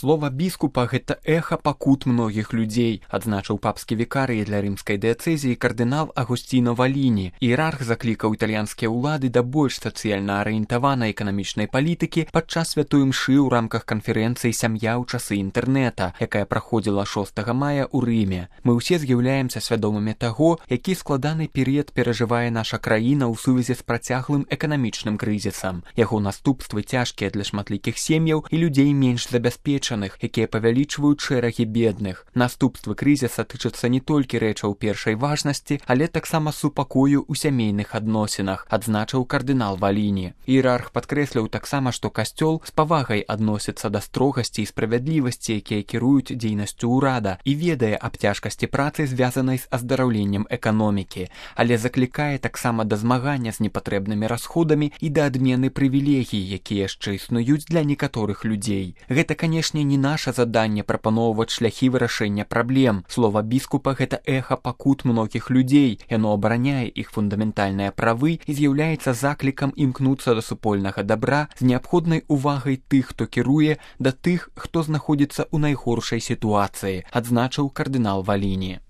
Слова біскупа гэта эха пакут многіх людзей, адзначыў папскі вікарый для рымскай дыяцэзіі кардынал Агусціно Валіні. Іерарх заклікаў італьянскія ўлады да больш сацыяльна арыентаванай эканамічнай палітыкі падчас святой імшы ў рамках канферэнцыі «Сям'я ў часы інтэрнэта», якая праходзіла 6 мая ў Рыме. Мы ўсе з'яўляемся свядомымі таго, які складаны перыяд перажывае наша краіна ў сувязі з працяглым эканамічным крызісам. Яго наступствы цяжкія для шматлікіх сем'яў і людзей менш забяспечаных, якія павялічваюць шэрагі бедных. Наступствы крызіса тычацца не толькі рэчаў першай важнасці, але таксама супакою ў сямейных адносінах, адзначыў кардынал Валіні. Іерарх падкрэсліў таксама, што касцёл з павагай адносіцца да строгасці і справядлівасці, якія кіруюць дзейнасцю ўрада, і ведае аб цяжкасці працы, звязанай з аздараўленнем эканомікі, але заклікае таксама да змагання з непатрэбнымі расходамі і да адмены прывілегій, якія яшчэ існуюць для некаторых людзей. Гэта, канешне, не наша заданне прапаноўваць шляхі вырашэння праблем. Слова біскупа гэта эха пакут многіх людзей. Яно абараняе іх фундаментальныя правы і з'яўляецца заклікам імкнуцца да супольнага дабра з неабходнай увагай тых, хто кіруе, да тых, хто знаходзіцца ў найгоршай сітуацыі, адзначыў кардынал Валіні.